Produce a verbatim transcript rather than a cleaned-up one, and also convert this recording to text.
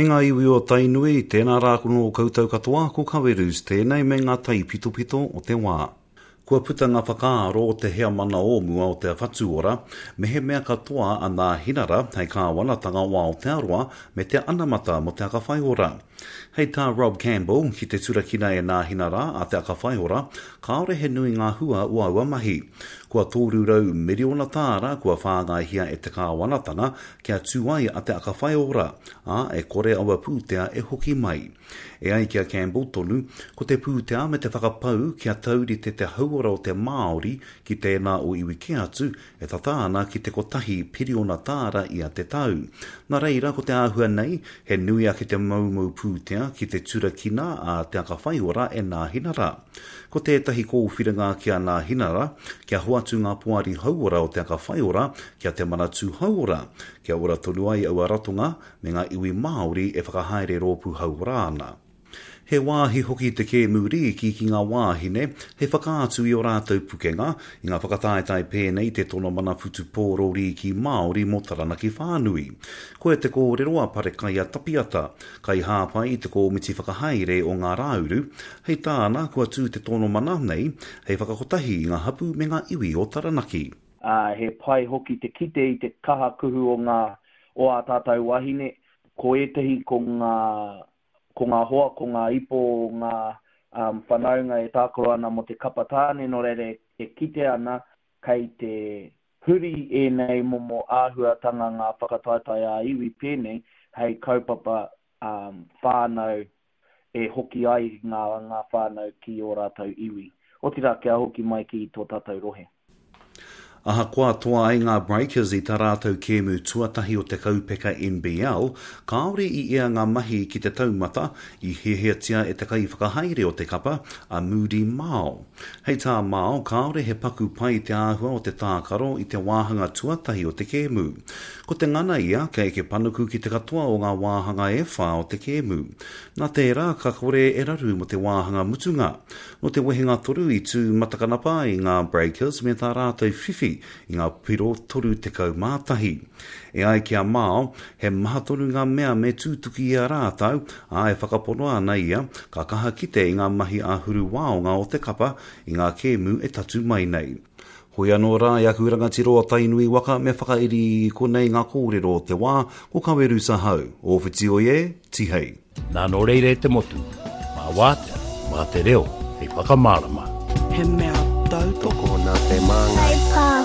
E ngā iwi o Tainui, tēnā rā nō koutou katoa, ko Kawerus tēnei me ngā taipitopito o te wā. Kua puta ngā whakaaro o te heamana o mua o Te Whatu Ora, mehemea katoa a Nāhinara hei kāwanatanga o Aotearoa me te anamata mō Te Aka Whaiora. Hei tā Rob Campbell, ki te turakina e Nāhinara a Te Aka Whaiora, kāore he nui ngā hua o aua mahi. Kua toru rau miriona tāra kua whāngaihia e te kāwanatanga kia tū ai a Te Aka Whaiora, ā, e kore aua pūtea e hoki mai. E ai ki a Campbell tonu, ko te pūtea me te whakapau kia taurite te hauora o te Māori ki tēnā o iwi kē atu e tata ana ki te kotahi piriona tāra ia te tau. Nā reira, ko te āhua nei, he nui ake te moumou pūtea ki te turakina a Te Aka Whaiora e Nāhinara. Ko tētahi kōwhiringa ki a Nāhinara, kia hoatu ngā poari hauora o Te Aka Whaiora ki a Te Manatū Hauora, kia ora tonu ai aua ratonga me ngā iwi Māori e whakahaere rōpū hauora ana. He wāhi hoki te kēmu rīki ki ngā wāhine hei whakaatu i ō rātou pukenga i ngā whakataetae pēnei te tono mana whutupōro rīki Māori mō Taranaki whānui. Koia te kōrero a Parekaia Tapiata, kaihāpai i te kōmiti whakahaere o Ngā Rāuru, hei tāna kua tū te tono mana nei hei whakakotahi i ngā hapū me ngā iwi o Taranaki. Uh, he pai hoki te kite i te kaha kuhu o ngā o ā tātou wahine, ko ētahi ko ngā ko ngā hoa, ko ngā ipo, ngā um, whanaunga e tākaro ana mō te kapa tāne, nō reira e kite ana kei te huri ēnei momo āhuatanga ngā whakataetae ā-iwi pēnei hei kaupapa um, whānau e hoki ai ngā, ngā whānau ki ō rātou iwi. Otirā kia hoki mai ki tō tātou rohe. Ahakoa toa ai ngā Breakers i tā rātou kēmu tuatahi o te kaupeka N B L, kāore i ea ngā mahi ki te taumata i hiahiatia e te kaiwhakahaere o te kapa, a Moody Mao. Hei tā Mao, kāore he paku pai te āhua o te tākaro i te wāhanga tuatahi o te kēmu. Ko te ngana ia kei eke panuku ki te katoa o ngā wāhanga e whā o te kēmu. Nā tērā, ka kore e raru mō te wāhanga mutunga. Nō te wehenga toru i tū matakanapa i ngā Breakers me tā rātou whiwhi i ngā piro toru tekau mā tahi. E ai ki a Mao, he maha tonu ngā mea me tūtuki i a rātou, ā e whakapono ana ia, ka kaha kite i ngā mahi āhuru waonga o te kapa i ngā kēmu e tatu mai nei. Hoi anō rā i aku rangatira o Tainui waka me whakairi i konei ngā kōrero o te wā, ko Kawerusa Hau, o Whiti oi e, tihei. Nā nō reira e te motu, mā wātea, mā te reo, hei whakamārama. He mea tautoko nā te māngai. Whai pānga.